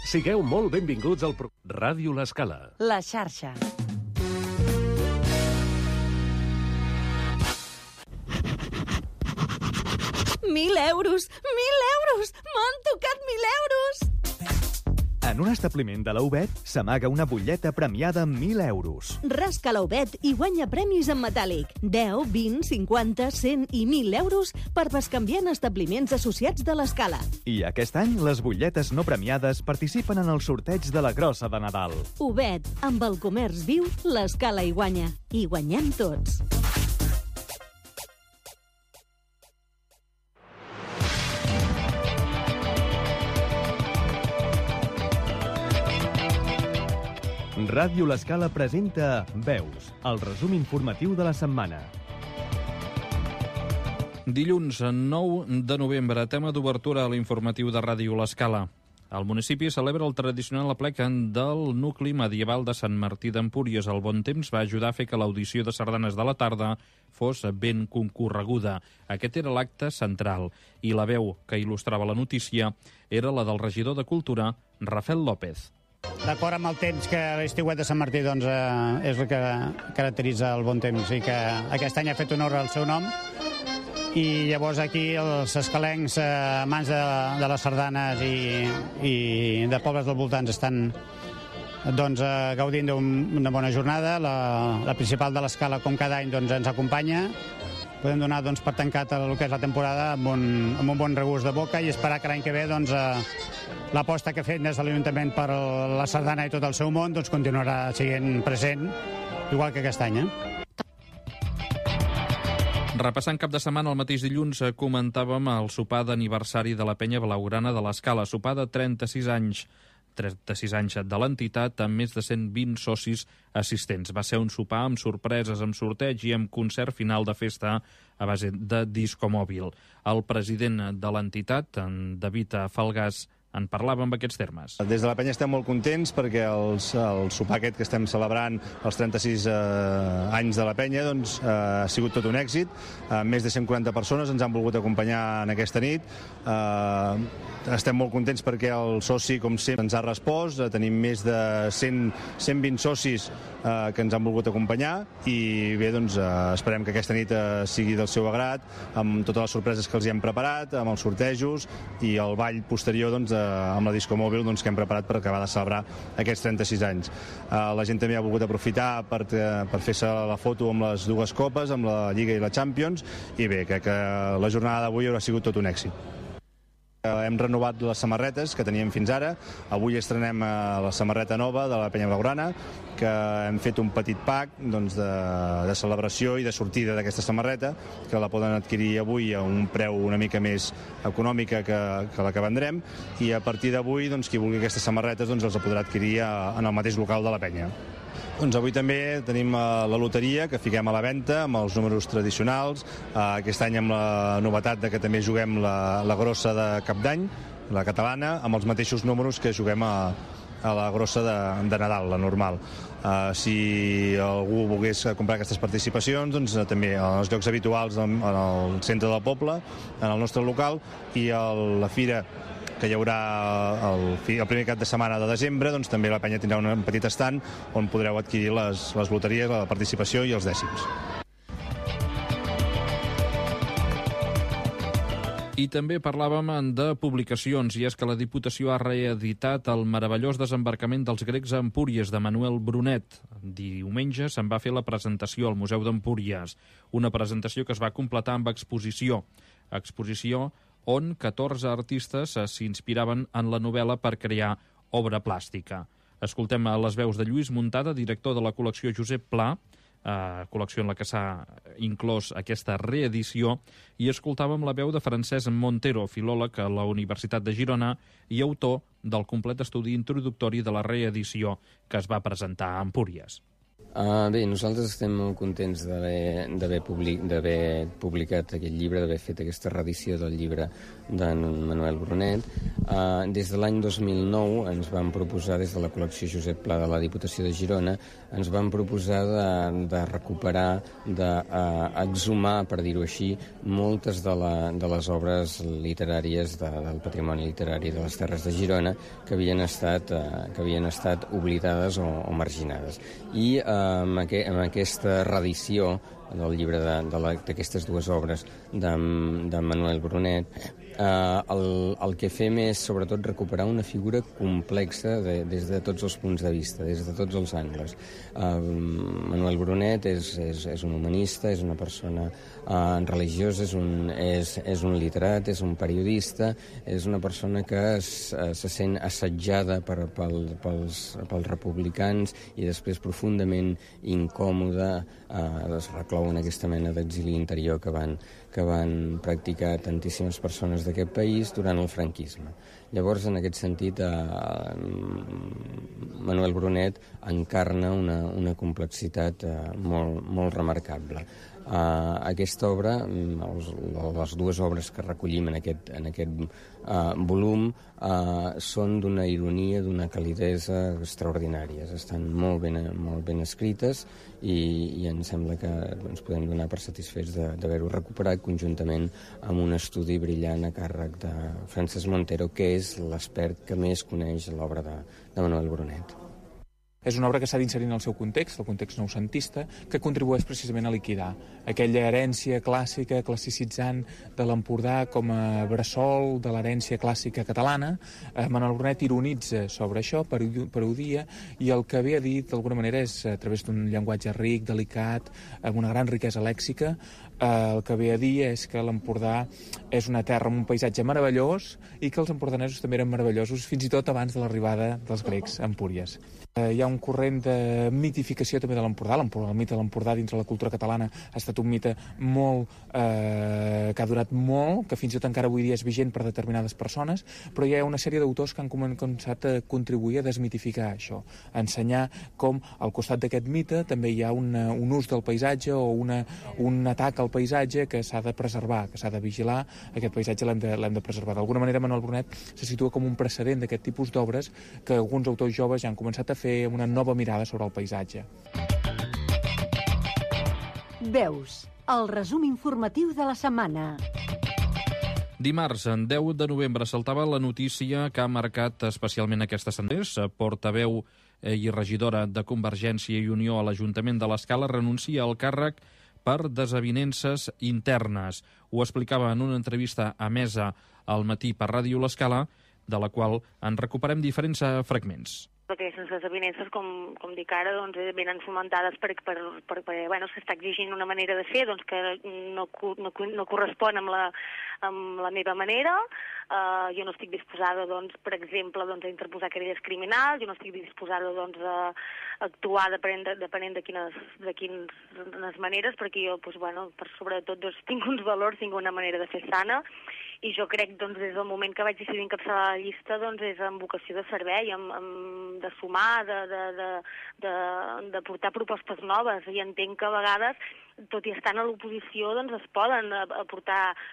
Sigueu molt benvinguts al Ràdio L'Escala. La xarxa. Mil euros! M'han tocat 1.000 euros! En un establiment de la UBET s'amaga una butlleta premiada amb 1.000 euros. Rasca la UBET i guanya premis en metàl·lic. 10, 20, 50, 100 i 1.000 euros per bescanviar en establiments associats de l'Escala. I aquest any les butlletes no premiades participen en el sorteig de la grossa de Nadal. UBET, amb el comerç viu, l'Escala hi guanya. I guanyem tots. Ràdio L'Escala presenta Veus, el resum informatiu de la setmana. Dilluns 9 de novembre, tema d'obertura a l'informatiu de Ràdio L'Escala. El municipi celebra el tradicional aplec del nucli medieval de Sant Martí d'Empúries. El bon temps va ajudar a fer que l'audició de sardanes de la tarda fos ben concorreguda. Aquest era l'acte central i la veu que il·lustrava la notícia era la del regidor de Cultura, Rafael López. D'acord amb el temps que l'estiuet de Sant Martí doncs, és el que caracteritza el bon temps i que aquest any ha fet honor al seu nom. I llavors aquí els escalencs, amants de les sardanes i de pobles dels voltants estan doncs, gaudint d'una bona jornada. La principal de l'Escala, com cada any, doncs, ens acompanya. Podem donar doncs, per tancat el que és la temporada amb un bon regust de boca i esperar que l'any que ve doncs, l'aposta que ha fet des de l'Ajuntament per la sardana i tot el seu món doncs, continuarà sent present, igual que aquest any. Repassant cap de setmana, el mateix dilluns comentàvem el sopar d'aniversari de la penya blaugrana de l'Escala, sopar de 36 anys de l'entitat amb més de 120 socis assistents. Va ser un sopar amb sorpreses, amb sorteig i amb concert final de festa a base de discomòbil. El president de l'entitat, en David Falgàs, en parlava amb aquests termes. Des de la penya estem molt contents perquè el sopar aquest que estem celebrant, els 36 anys de la penya, doncs, ha sigut tot un èxit. Més de 140 persones ens han volgut acompanyar en aquesta nit. Estem molt contents perquè el soci, com sempre, ens ha respost. Tenim més de 120 socis que ens han volgut acompanyar i bé, doncs, esperem que aquesta nit sigui del seu agrat, amb totes les sorpreses que els hi hem preparat, amb els sortejos i el ball posterior doncs, amb la discomòbil doncs, que hem preparat per acabar de celebrar aquests 36 anys. La gent també ha volgut aprofitar per fer-se la foto amb les dues copes, amb la Lliga i la Champions, i bé, crec que la jornada d'avui haurà sigut tot un èxit. Hem renovat les samarretes que teníem fins ara. Avui estrenem la samarreta nova de la penya blaugrana, que hem fet un petit pack doncs, de celebració i de sortida d'aquesta samarreta, que la poden adquirir avui a un preu una mica més econòmica que la que vendrem, i a partir d'avui doncs, qui vulgui aquestes samarretes doncs, els podrà adquirir en el mateix local de la penya. Doncs avui també tenim la loteria que fiquem a la venda amb els números tradicionals. Aquest any amb la novetat de que també juguem la grossa de Cap d'Any, la catalana, amb els mateixos números que juguem a la grossa de Nadal, la normal. Si algú volgués comprar aquestes participacions, doncs també als llocs habituals en el centre del poble, en el nostre local, i a la fira que hi haurà el primer cap de setmana de desembre, doncs també la penya tindrà un petit estand on podreu adquirir les loteries, la participació i els dècims. I també parlàvem de publicacions, i és que la Diputació ha reeditat el meravellós desembarcament dels grecs a Empúries de Manuel Brunet. Diumenge se'n va fer la presentació al Museu d'Empúries, una presentació que es va completar amb exposició on 14 artistes s'inspiraven en la novel·la per crear obra plàstica. Escoltem les veus de Lluís Muntada, director de la col·lecció Josep Pla, col·lecció en la que s'ha inclòs aquesta reedició, i escoltàvem la veu de Francesc Montero, filòleg a la Universitat de Girona i autor del complet estudi introductori de la reedició que es va presentar a Empúries. Bé, nosaltres estem molt contents d'haver publicat aquest llibre, d'haver fet aquesta reedició del llibre d'en Manuel Brunet. Des de l'any 2009 ens vam proposar, des de la col·lecció Josep Pla de la Diputació de Girona, ens vam proposar de recuperar, d'exhumar, per dir-ho així, moltes de les obres literàries del patrimoni literari de les Terres de Girona que havien estat oblidades o marginades. I amb aquesta reedició del llibre d'aquestes dues obres de Manuel Brunet, el que fem és sobretot recuperar una figura complexa des de tots els punts de vista, des de tots els angles. Manuel Brunet és un humanista, és una persona religiosa, és un literat, és un periodista, és una persona que se sent assetjada pels republicans i després profundament incòmoda, es reclou en aquesta mena d'exili interior que van practicar tantíssimes persones d'aquest país durant el franquisme. Llavors, en aquest sentit, Manuel Brunet encarna una complexitat molt remarcable. Aquesta obra, les dues obres que recollim en aquest volum, són d'una ironia, d'una calidesa extraordinàries. Estan molt ben escrites i em sembla que ens podem donar per satisfets d'haver-ho recuperat conjuntament amb un estudi brillant a càrrec de Francesc Montero, que és l'expert que més coneix l'obra de Manuel Brunet. És una obra que s'ha d'inserir en el seu context, el context noucentista, que contribueix precisament a liquidar aquella herència clàssica, classicitzant de l'Empordà com a bressol de l'herència clàssica catalana. Manuel Brunet ironitza sobre això, parodia, i el que ve a dir, d'alguna manera, és a través d'un llenguatge ric, delicat, amb una gran riquesa lèxica, el que ve a dir és que l'Empordà és una terra amb un paisatge meravellós i que els empordanesos també eren meravellosos, fins i tot abans de l'arribada dels grecs a Empúries. Hi ha un corrent de mitificació també de l'Empordà. El mite de l'Empordà dins de la cultura catalana ha estat un mite que ha durat molt, que fins i tot encara avui dia és vigent per determinades persones, però hi ha una sèrie d'autors que han començat a contribuir a desmitificar això, a ensenyar com al costat d'aquest mite també hi ha un ús del paisatge o un atac al paisatge que s'ha de preservar, que s'ha de vigilar. Aquest paisatge l'hem de preservar. D'alguna manera, Manuel Brunet se situa com un precedent d'aquest tipus d'obres que alguns autors joves ja han començat a fer amb una nova mirada sobre el paisatge. Veus, el resum informatiu de la setmana. Dimarts, en 10 de novembre, saltava la notícia que ha marcat especialment aquesta setmana. Portaveu i regidora de Convergència i Unió a l'Ajuntament de l'Escala renuncia al càrrec per desavinences internes. Ho explicava en una entrevista emesa al matí per Ràdio l'Escala, de la qual en recuperem diferents fragments. Aquestes desavinences, com dic ara, doncs, venen fomentades perquè s'està exigint una manera de fer que no correspon amb la meva manera. Jo no estic disposada, per exemple, a interposar querelles criminals, jo no estic disposada a actuar depenent de quines maneres, perquè jo, sobretot, tinc uns valors, tinc una manera de fer sana, i jo crec, des del moment que vaig decidir encapçalar la llista, és amb vocació de servei, de sumar, de portar propostes noves, i entenc que a vegades, tot i estar a l'oposició, es poden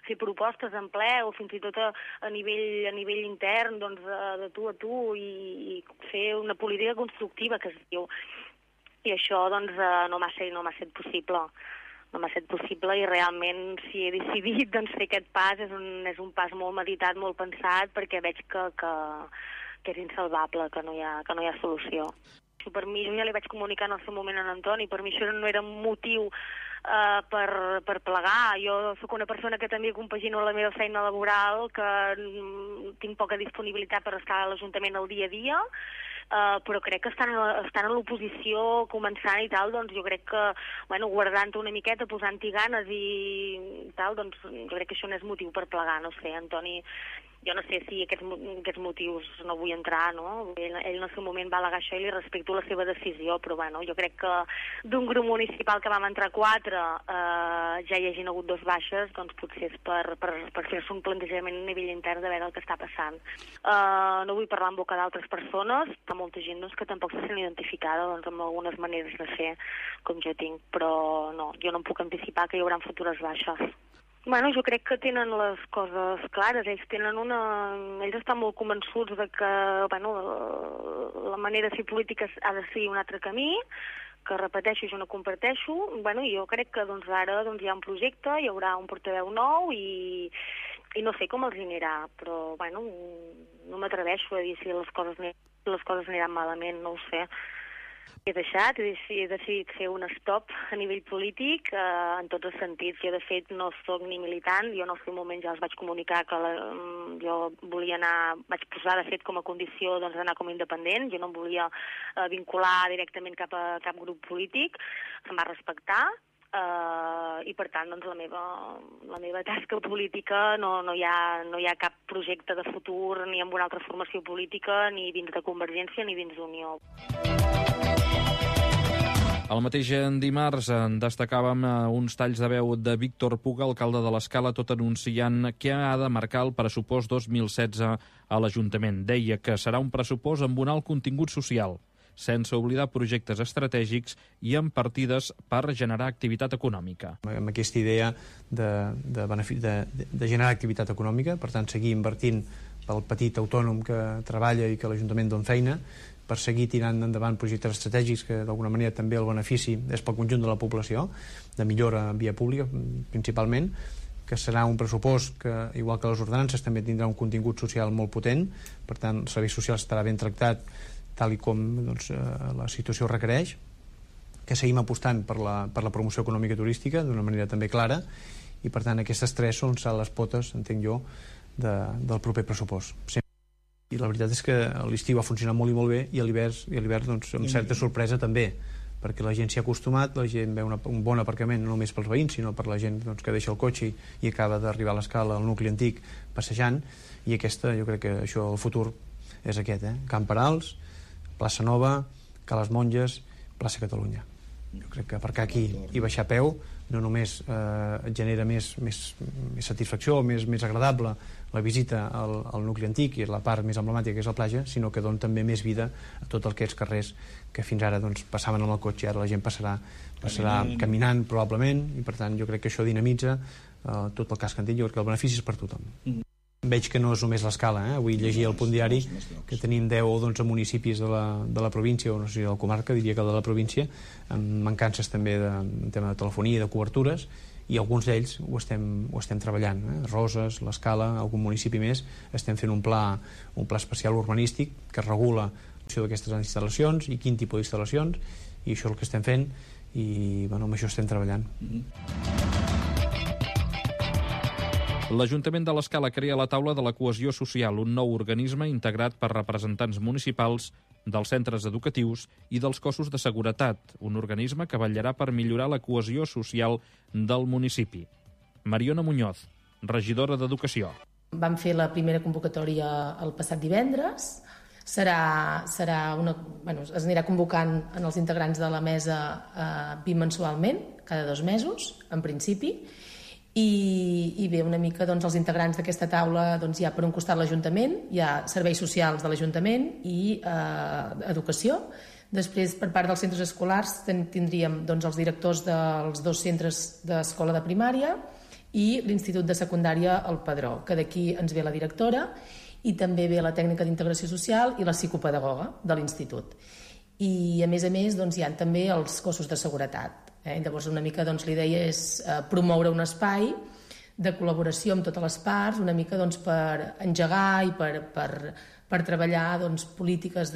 fer propostes en ple o fins i tot a nivell intern, de tu a tu, i fer una política constructiva, que es diu. I això no m'ha estat possible. No m'ha estat possible, i realment, si he decidit fer aquest pas, és un pas molt meditat, molt pensat, perquè veig que és insalvable, que no hi ha solució. Per mi, jo ja li vaig comunicar en el seu moment a Antoni, per mi això no era un motiu per plegar. Jo sóc una persona que també compagino la meva feina laboral, que tinc poca disponibilitat per estar a l'Ajuntament el dia a dia, però crec que estan a l'oposició començant i tal, jo crec que, guardant-te una miqueta, posant-hi ganes i tal, jo crec que això no és motiu per plegar, no sé, Antoni Jo no sé si aquests motius no vull entrar, no? Ell en el seu moment va al·legar això i li respecto la seva decisió, però bueno, jo crec que d'un grup municipal que vam entrar 4 ja hi hagin hagut 2 baixes, doncs potser és per fer-se un plantejament a nivell intern de veure el que està passant. No vull parlar en boca d'altres persones, però molta gent doncs, que tampoc se sent identificada doncs, amb algunes maneres de fer com jo tinc, però no, jo no em puc anticipar que hi haurà futures baixes. Bueno, jo crec que tenen les coses clares. Ells estan molt convençuts de que la manera de fer política ha de ser un altre camí, que repeteixo, jo no comparteixo. Bueno, jo crec que ara hi ha un projecte, hi haurà un portaveu nou i no sé com els anirà, però bueno, no m'atreveixo a dir si les coses aniran malament, no ho sé. He decidit fer un stop a nivell polític en tots els sentits. Jo, de fet, no soc ni militant. Jo en el seu moment ja els vaig comunicar que jo volia vaig posar, de fet, com a condició d'anar com a independent. Jo no em volia vincular directament cap a cap grup polític. Em va respectar. I per tant doncs, la meva tasca política no hi ha cap projecte de futur ni amb una altra formació política, ni dins de Convergència ni dins d'Unió. El mateix dimarts en destacàvem uns talls de veu de Víctor Puga, alcalde de l'Escala, tot anunciant què ha de marcar el pressupost 2016 a l'Ajuntament. Deia que serà un pressupost amb un alt contingut social, sense oblidar projectes estratègics i amb partides per generar activitat econòmica. Amb aquesta idea de generar activitat econòmica, per tant, seguir invertint pel petit autònom que treballa i que l'Ajuntament dona feina, per seguir tirant endavant projectes estratègics que d'alguna manera també el benefici és pel conjunt de la població, de millora en via pública principalment, que serà un pressupost que, igual que les ordenances, també tindrà un contingut social molt potent, per tant el servei social estarà ben tractat tal i com la situació requereix, que seguim apostant per la promoció econòmica i turística d'una manera també clara, i per tant aquestes 3 són les potes, entenc jo, del proper pressupost. I la veritat és que l'estiu ha funcionat molt i molt bé, i a l'hivern doncs, amb certa sorpresa també, perquè la gent s'hi ha acostumat, la gent veu un bon aparcament no només pels veïns, sinó per la gent doncs, que deixa el cotxe i acaba d'arribar a l'Escala, al nucli antic, passejant, i jo crec que això, el futur és aquest, Camp Perals, Plaça Nova, Ca les Monges, Plaça Catalunya. Jo crec que aparcar aquí i baixar a peu no només et genera més satisfacció, més agradable la visita al nucli antic i la part més emblemàtica que és la platja, sinó que dona també més vida a tots aquests carrers que fins ara doncs, passaven amb el cotxe, ara la gent passarà caminant probablement, i per tant jo crec que això dinamitza tot el casc antic. Jo crec que el benefici és per tothom. Veig que no és només l'Escala, avui llegia al punt diari que tenim 10 o 12 municipis de la província, o no sé si de la comarca, diria que de la província, amb mancances també en tema de telefonia i de cobertures, i alguns d'ells ho estem treballant. Roses, l'Escala, algun municipi més, estem fent un pla especial urbanístic que regula l'opció d'aquestes instal·lacions i quin tipus d'instal·lacions, i això és el que estem fent, i amb això estem treballant. L'Ajuntament de l'Escala crea la Taula de la Cohesió Social, un nou organisme integrat per representants municipals dels centres educatius i dels cossos de seguretat, un organisme que vetllarà per millorar la cohesió social del municipi. Mariona Muñoz, regidora d'Educació. Vam fer la primera convocatòria el passat divendres. Es anirà convocant en els integrants de la mesa bimensualment, cada 2 mesos, en principi, i bé, una mica els integrants d'aquesta taula hi ha per un costat l'Ajuntament, hi ha serveis socials de l'Ajuntament i educació. Després, per part dels centres escolars, tindríem els directors dels 2 centres d'escola de primària i l'Institut de Secundària El Padró, que d'aquí ens ve la directora, i també ve la tècnica d'integració social i la psicopedagoga de l'Institut. I a més hi ha també els cossos de seguretat. Llavors una mica la idea és promoure un espai de col·laboració amb totes les parts, una mica per engegar i per treballar polítiques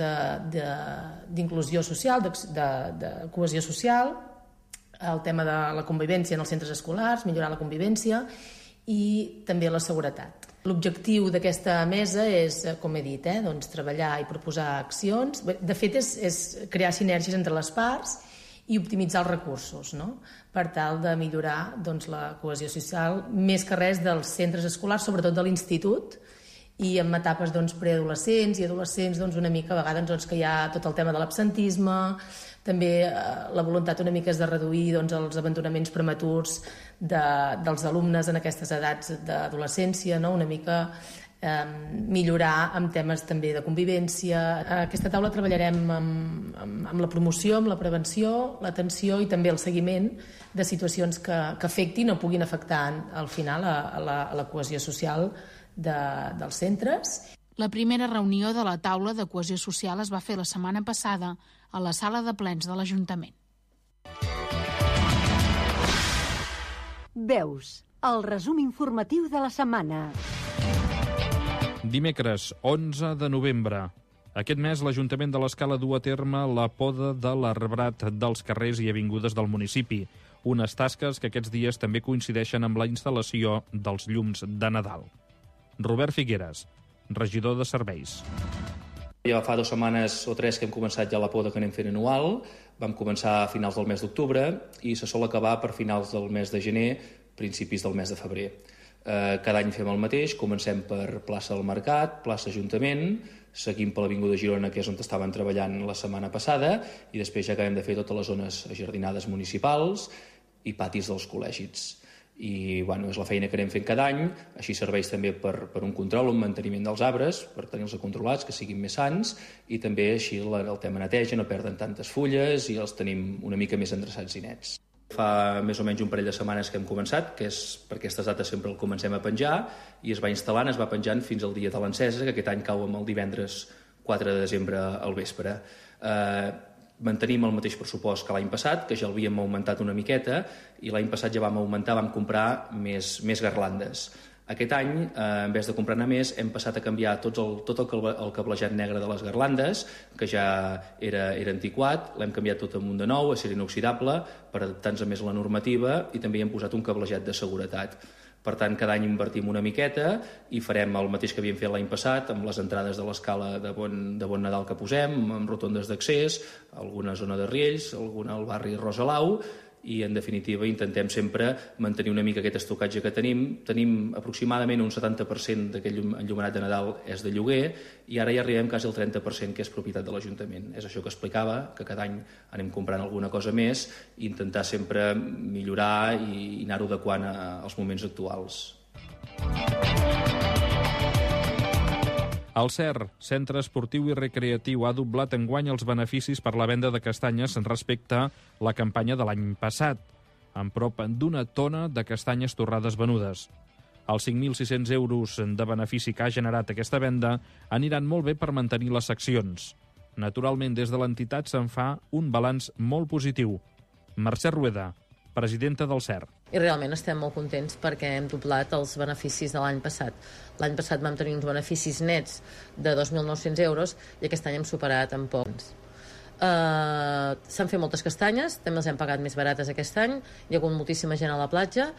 d'inclusió social, de cohesió social, el tema de la convivència en els centres escolars, millorar la convivència i també la seguretat. L'objectiu d'aquesta mesa és, com he dit, treballar i proposar accions. De fet, és crear sinergies entre les parts i optimitzar els recursos, per tal de millorar la cohesió social, més que res dels centres escolars, sobretot de l'institut, i en etapes preadolescents i adolescents una mica a vegades que hi ha tot el tema de l'absentisme, també la voluntat una mica és de reduir els abandonaments prematurs dels alumnes en aquestes edats d'adolescència, no? Una mica millorar amb temes també de convivència. A aquesta taula treballarem amb la promoció, amb la prevenció, l'atenció i també el seguiment de situacions que afectin o puguin afectar al final a la cohesió social dels centres. La primera reunió de la taula de cohesió social es va fer la setmana passada a la sala de plens de l'Ajuntament. Veus, el resum informatiu de la setmana. Dimecres, 11 de novembre. Aquest mes l'Ajuntament de l'Escala du a terme la poda de l'arbrat dels carrers i avingudes del municipi, unes tasques que aquests dies també coincideixen amb la instal·lació dels llums de Nadal. Robert Figueres, regidor de Serveis. Ja fa 2 setmanes o 3 que hem començat ja la poda que anem fent anual. Vam començar a finals del mes d'octubre i se sol acabar per finals del mes de gener, principis del mes de febrer. Cada any fem el mateix, comencem per plaça del Mercat, plaça Ajuntament, seguim per l'Avinguda Girona, que és on estaven treballant la setmana passada, i després ja acabem de fer totes les zones ajardinades municipals i patis dels col·legis. I és la feina que anem fent cada any, així serveix també per un control, un manteniment dels arbres, per tenir-los controlats, que siguin més sans, i també així el tema neteja, no perden tantes fulles i els tenim una mica més endreçats i nets. Fa més o menys un parell de setmanes que hem començat, que és per aquestes dates sempre el comencem a penjar, i es va instal·lant, es va penjant fins al dia de l'encesa, que aquest any cau amb el divendres 4 de desembre al vespre. Mantenim el mateix pressupost que l'any passat, que ja l'havíem augmentat una miqueta, i l'any passat ja vam comprar més garlandes. Aquest any, en vez de comprar-ne més, hem passat a canviar tot el cablejat negre de les garlandes, que ja era antiquat, l'hem canviat tot amunt de nou, a ser inoxidable, per adaptar-nos més a la normativa, i també hi hem posat un cablejat de seguretat. Per tant, cada any invertim una miqueta i farem el mateix que havíem fet l'any passat amb les entrades de l'escala de Bon Nadal que posem, amb rotondes d'accés, alguna zona de riells, alguna al barri Rosalau, i en definitiva intentem sempre mantenir una mica aquest estocatge que tenim. Tenim aproximadament un 70% d'aquell enllumenat de Nadal és de lloguer i ara ja arribem quasi al 30% que és propietat de l'Ajuntament. És això que explicava, que cada any anem comprant alguna cosa més i intentar sempre millorar i anar-ho adequant als moments actuals. El CER, Centre Esportiu i Recreatiu, ha doblat enguany els beneficis per la venda de castanyes respecte a la campanya de l'any passat, amb prop d'1 tona de castanyes torrades venudes. Els 5.600 euros de benefici que ha generat aquesta venda aniran molt bé per mantenir les seccions. Naturalment, des de l'entitat se'n fa un balanç molt positiu. Mercè Rueda, presidenta del CER. I realment estem molt contents perquè hem doblat els beneficis de l'any passat. L'any passat vam tenir uns beneficis nets de 2.900 euros i aquest any hem superat en pocs. S'han fet moltes castanyes, també les hem pagat més barates aquest any, hi ha hagut moltíssima gent a la platja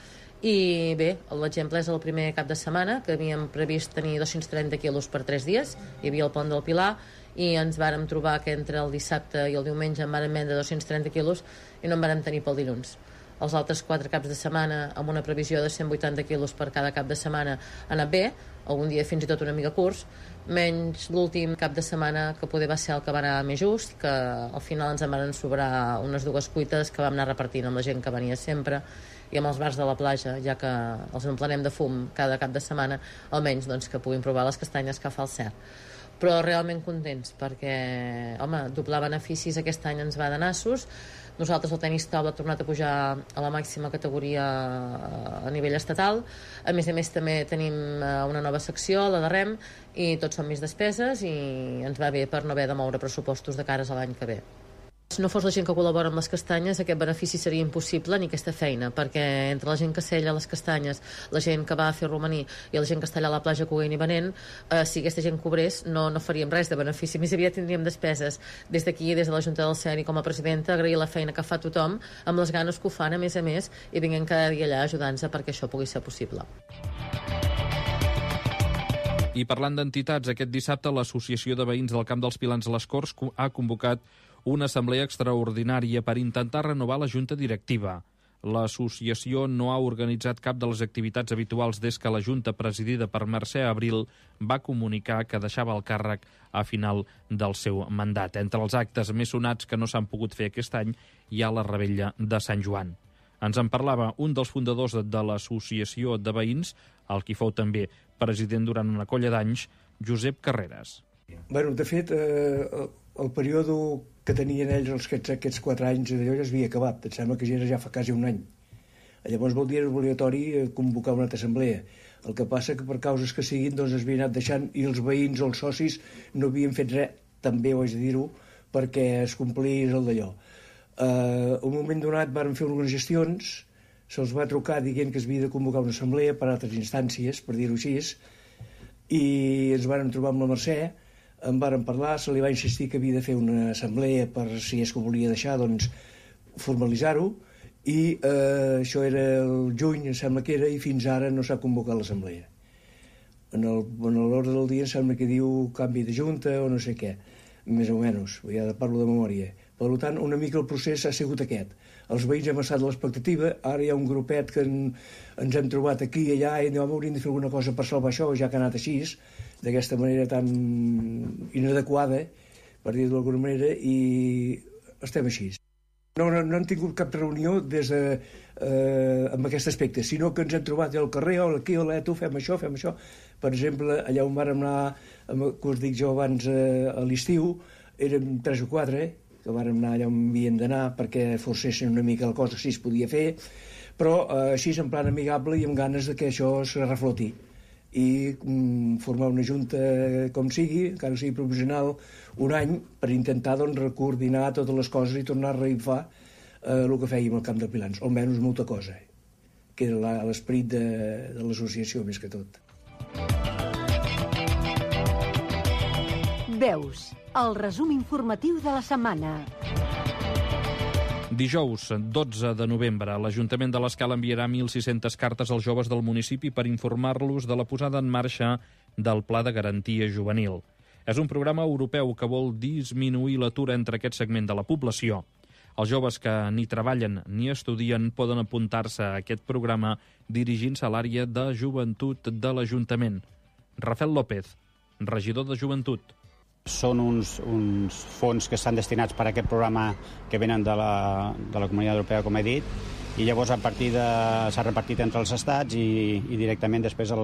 i bé, l'exemple és el primer cap de setmana que havíem previst tenir 230 quilos per 3 dies, hi havia el pont del Pilar i ens vàrem trobar que entre el dissabte i el diumenge en vàrem vendre 230 quilos i no en vàrem tenir pel dilluns. Els altres 4 caps de setmana, amb una previsió de 180 quilos per cada cap de setmana, ha anat bé, algun dia fins i tot una mica curs, menys l'últim cap de setmana, que poder va ser el que va anar més just, que al final ens en van sobrar unes 2 cuites que vam anar repartint amb la gent que venia sempre i amb els bars de la platja, ja que els emplenem de fum cada cap de setmana, almenys doncs, que puguin provar les castanyes que fa el CER. Però realment contents, perquè, home, doblar beneficis aquest any ens va de nassos. Nosaltres el tenis taula ha tornat a pujar a la màxima categoria a nivell estatal. A més també tenim una nova secció, la de rem, i tots són més despeses i ens va bé per no haver de moure pressupostos de cares a l'any que ve. Si no fos la gent que col·labora amb les castanyes, aquest benefici seria impossible ni aquesta feina, perquè entre la gent que sella les castanyes, la gent que va a fer romaní i la gent que està allà a la platja coent i venent, si aquesta gent cobrés no faríem res de benefici, més aviat tindríem despeses. Des d'aquí, des de la Junta del CER i com a presidenta, agrair la feina que fa tothom, amb les ganes que ho fan a més, i vinguem cada dia allà ajudant-nos perquè això pugui ser possible. I parlant d'entitats, aquest dissabte l'Associació de Veïns del Camp dels Pilans a les Corts ha convocat una assemblea extraordinària per intentar renovar la Junta Directiva. L'associació no ha organitzat cap de les activitats habituals des que la Junta, presidida per Mercè Abril, va comunicar que deixava el càrrec a final del seu mandat. Entre els actes més sonats que no s'han pogut fer aquest any hi ha la Revetlla de Sant Joan. Ens en parlava un dels fundadors de l'Associació de Veïns, el qui fou també president durant una colla d'anys, Josep Carreras. Bueno, de fet, el període que tenien ells aquests 4 anys d'allò ja s'havia acabat. Em sembla que ja fa quasi un any. Llavors vol dir obligatori convocar una altra assemblea. El que passa que per causes que siguin doncs es havia anat deixant i els veïns o els socis no havien fet res, també ho haig de dir-ho, perquè es complís el d'allò. Un moment donat van fer unes gestions, se'ls va trucar dient que es havia de convocar una assemblea per altres instàncies, per dir-ho així, i ens van trobar amb la Mercè, en varen parlar, se li va insistir que havia de fer una assemblea per, si és que ho volia deixar, doncs formalitzar-ho, i això era el juny, em sembla que era, i fins ara no s'ha convocat l'assemblea. En l'ordre del dia em sembla que diu canvi de junta o no sé què, més o menys, ja parlo de memòria. Per tant, una mica el procés ha sigut aquest. Els veïns hem estat a l'expectativa, ara hi ha un grupet que ens hem trobat aquí i allà i hauríem de fer alguna cosa per salvar això, ja que ha anat així, d'aquesta manera tan inadequada, per dir-ho d'alguna manera, i estem així. No hem tingut cap reunió amb aquest aspecte, sinó que ens hem trobat al carrer, aquí, tu, fem això. Per exemple, allà on vàrem anar, que us dic jo abans, a l'estiu, érem 3 o 4, que vàrem anar allà on havien d'anar perquè forcessin una mica la cosa, si es podia fer, però així en plan amigable i amb ganes de que això es refloti. I formar una junta com sigui, encara sigui provisional, un any, per intentar coordinar totes les coses i tornar a reifar el que fèiem al Camp de Pilans, almenys molta cosa, que era l'esperit de l'associació més que tot. Veus, el resum informatiu de la setmana. Dijous, 12 de novembre, l'Ajuntament de l'Escala enviarà 1.600 cartes als joves del municipi per informar-los de la posada en marxa del Pla de Garantia Juvenil. És un programa europeu que vol disminuir l'atur entre aquest segment de la població. Els joves que ni treballen ni estudien poden apuntar-se a aquest programa dirigint-se a l'àrea de joventut de l'Ajuntament. Rafael López, regidor de Joventut. Són uns fons que estan destinats per a aquest programa que venen de la Comunitat Europea, com he dit, i llavors s'ha repartit entre els estats i directament després a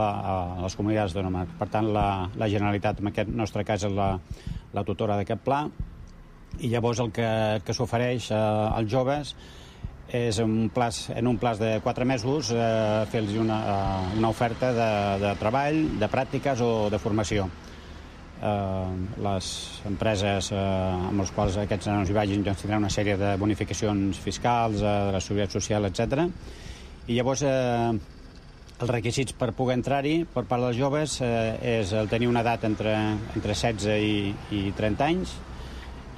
les comunitats autònomes. Per tant, la Generalitat, en aquest nostre cas, és la tutora d'aquest pla, i llavors el que s'ofereix als joves és en un plaç de 4 mesos fer-los una oferta de treball, de pràctiques o de formació. Les empreses amb les quals aquests nanos hi vagin tindran una sèrie de bonificacions fiscals, de la seguretat social, etc. I llavors els requisits per poder entrar-hi per part dels joves és el tenir una edat entre 16 i 30 anys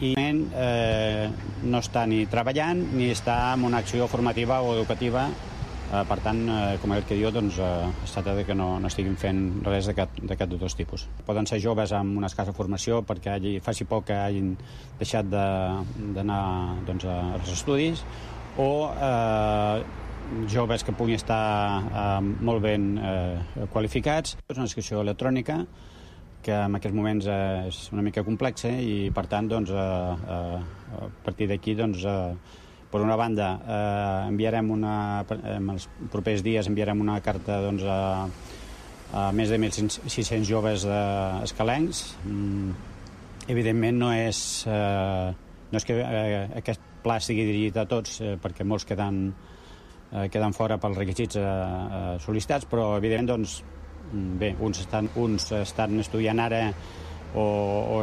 i no està ni treballant ni està en una acció formativa o educativa. Per tant, com el que diu, es tracta que no estiguin fent res d'aquest dos tipus. Poden ser joves amb una escassa formació perquè faci poc que hagin deixat d'anar als estudis, o joves que puguin estar molt ben qualificats. És una inscripció electrònica que en aquests moments és una mica complexa i, per tant, a partir d'aquí, per una banda, en els propers dies enviarem una carta a més de 1.600 joves escalencs. Evidentment no és que aquest pla estigui dirigit a tots, perquè molts queden fora pels requisits sol·licitats, però evidentment uns estan estudiant ara o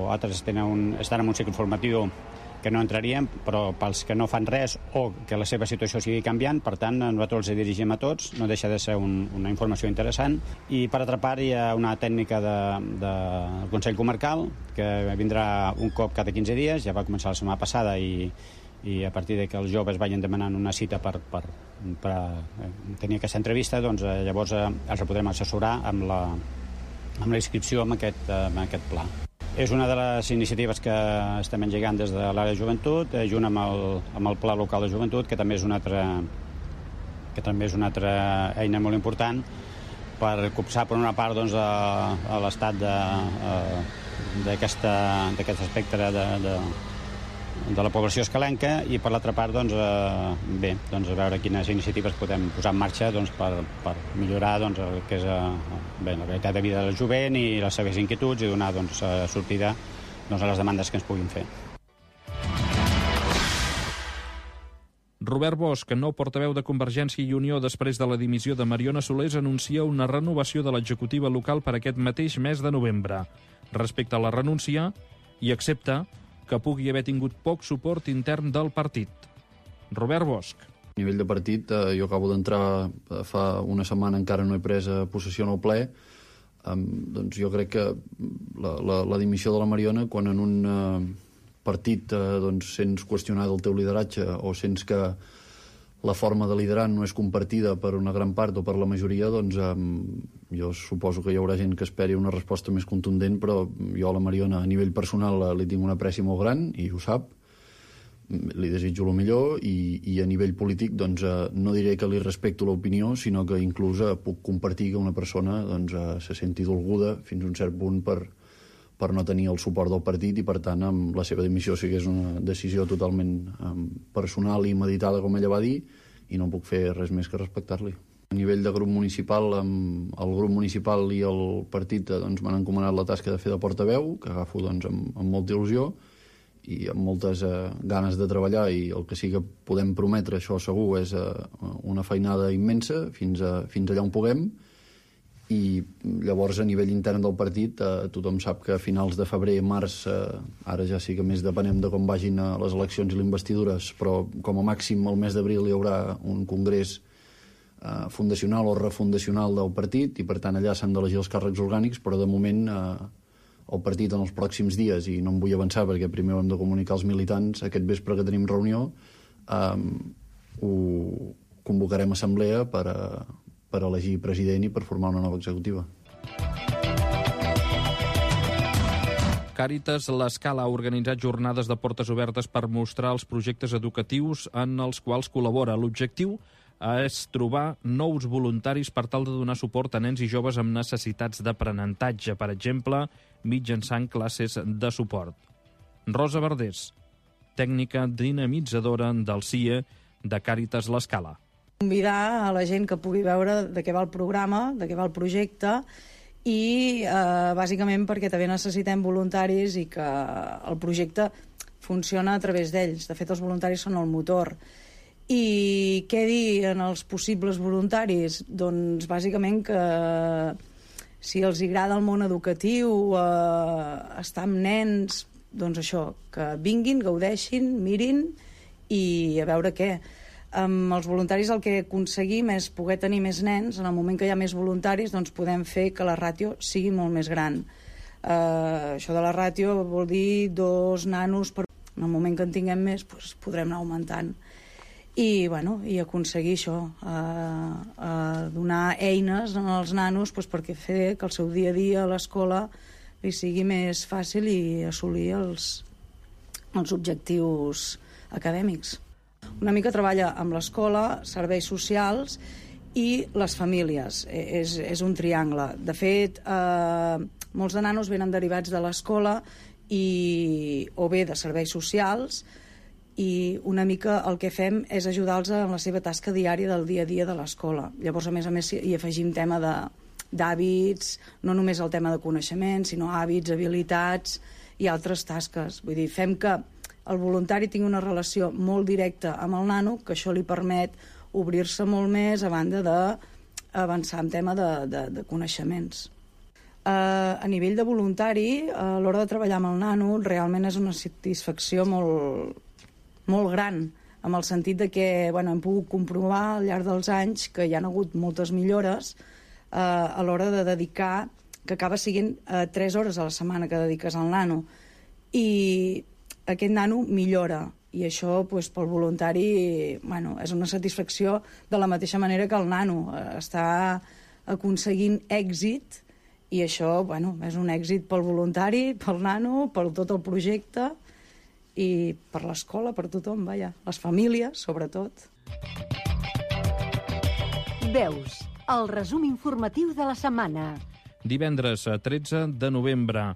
altres estan en un cicle formatiu que no entrarien, però pels que no fan res o que la seva situació sigui canviant, per tant, nosaltres els dirigim a tots, no deixa de ser una informació interessant. I per altra part hi ha una tècnica del Consell Comarcal que vindrà un cop cada 15 dies, ja va començar la setmana passada i a partir de que els joves vagin demanant una cita per tenir aquesta entrevista, doncs llavors els podrem assessorar amb la inscripció en aquest pla. És una de les iniciatives que estem engegant des de l'àrea de joventut, junt amb el Pla Local de Joventut, que també és una altra eina molt important per copsar, per una part, doncs, a l'estat d'aquest espectre de la població escalenca, i per l'altra part, doncs, bé, doncs, a veure quines iniciatives podem posar en marxa, doncs, per millorar, doncs, el que és bé, la qualitat de vida del jovent i les seves inquietuds, i donar, doncs, sortida, doncs, a les demandes que ens puguin fer. Robert Bosch, nou portaveu de Convergència i Unió després de la dimissió de Mariona Solés, anuncia una renovació de l'executiva local per aquest mateix mes de novembre. Respecte a la renúncia, i accepta que pugui haver tingut poc suport intern del partit. Robert Bosch. A nivell de partit, jo acabo d'entrar fa una setmana, encara no he pres possessió en el ple. Doncs jo crec que la dimissió de la Mariona, quan en un partit doncs, sents qüestionar el teu lideratge o sents que la forma de liderar no és compartida per una gran part o per la majoria, doncs jo suposo que hi haurà gent que esperi una resposta més contundent, però jo a la Mariona a nivell personal li tinc un apreci molt gran i ho sap, li desitjo el millor, i a nivell polític doncs, no diré que li respecto l'opinió, sinó que inclús puc compartir que una persona doncs, se senti dolguda fins a un cert punt per no tenir el suport del partit, i per tant la seva dimissió sí que és una decisió totalment personal i meditada, com ella va dir, i no puc fer res més que respectar-li. A nivell de grup municipal, el grup municipal i el partit doncs, m'han encomanat la tasca de fer de portaveu, que agafo doncs, amb molta il·lusió i amb moltes ganes de treballar, i el que sí que podem prometre, això segur, és una feinada immensa fins allà on puguem. I llavors a nivell intern del partit tothom sap que a finals de febrer, març, ara ja sí que més depenem de com vagin les eleccions i les investidures, però com a màxim el mes d'abril hi haurà un congrés fundacional o refundacional del partit, i per tant allà s'han d'elegir els càrrecs orgànics, però de moment el partit en els pròxims dies, i no em vull avançar perquè primer ho hem de comunicar als militants, aquest vespre que tenim reunió ho convocarem assemblea per elegir president i per formar una nova executiva. Càritas L'Escala ha organitzat jornades de portes obertes per mostrar els projectes educatius en els quals col·labora. L'objectiu és trobar nous voluntaris per tal de donar suport a nens i joves amb necessitats d'aprenentatge, per exemple, mitjançant classes de suport. Rosa Verdés, tècnica dinamitzadora del CIE de Càritas L'Escala. Convidar a la gent que pugui veure de què va el programa, de què va el projecte, i bàsicament perquè també necessitem voluntaris i que el projecte funciona a través d'ells. De fet, els voluntaris són el motor. I què dir en els possibles voluntaris? Doncs bàsicament que si els agrada el món educatiu, estar amb nens, doncs això, que vinguin, gaudeixin, mirin i a veure què. Amb els voluntaris el que aconseguim és poder tenir més nens. En el moment que hi ha més voluntaris, doncs podem fer que la ràtio sigui molt més gran. Això de la ràtio vol dir 2 nanos per... En el moment que en tinguem més, doncs podrem anar augmentant. I aconseguir això, donar eines als nanos perquè fer que el seu dia a dia a l'escola li sigui més fàcil i assolir els objectius acadèmics. Una mica treballa amb l'escola, serveis socials i les famílies. És un triangle. De fet, molts de nanos venen derivats de l'escola o bé de serveis socials, i una mica el que fem és ajudar-los en la seva tasca diària del dia a dia de l'escola. Llavors, a més, hi afegim tema d'hàbits, no només el tema de coneixement, sinó hàbits, habilitats i altres tasques. Vull dir, fem que el voluntari tingui una relació molt directa amb el nano, que això li permet obrir-se molt més a banda d'avançar en tema de coneixements. A nivell de voluntari, a l'hora de treballar amb el nano, realment és una satisfacció molt gran, en el sentit de que hem pogut comprovar al llarg dels anys que hi ha hagut moltes millores a l'hora de dedicar, que acaba sent 3 hores a la setmana que dediques al nano, i aquest nano millora, i això pel voluntari és una satisfacció de la mateixa manera que el nano està aconseguint èxit I això, bueno, és un èxit pel voluntari, pel nano, per tot el projecte i per l'escola, per tothom, vaja, les famílies, sobretot. Veus, el resum informatiu de la setmana. Divendres 13 de novembre.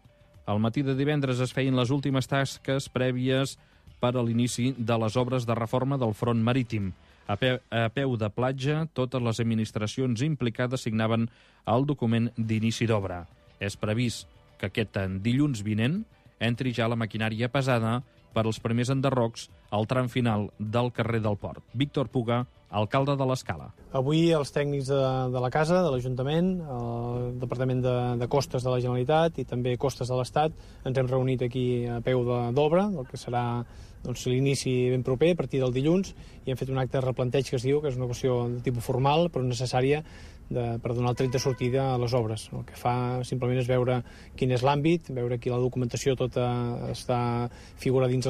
Al matí de divendres es feien les últimes tasques prèvies per a l'inici de les obres de reforma del front marítim. A peu de platja, totes les administracions implicades signaven el document d'inici d'obra. És previst que aquest dilluns vinent entri ja la maquinària pesada per als primers enderrocs al tram final del carrer del Port. Víctor Puga, alcalde de l'Escala. Avui els tècnics de la Casa, de l'Ajuntament, el Departament de Costes de la Generalitat i també Costes de l'Estat ens hem reunit aquí a peu d'obra, el que serà l'inici ben proper, a partir del dilluns, i hem fet un acte de replanteig que es diu, que és una qüestió de tipus formal, però necessària per donar el tret de sortida a les obres. El que fa simplement és veure quin és l'àmbit, veure que la documentació tota està figura dins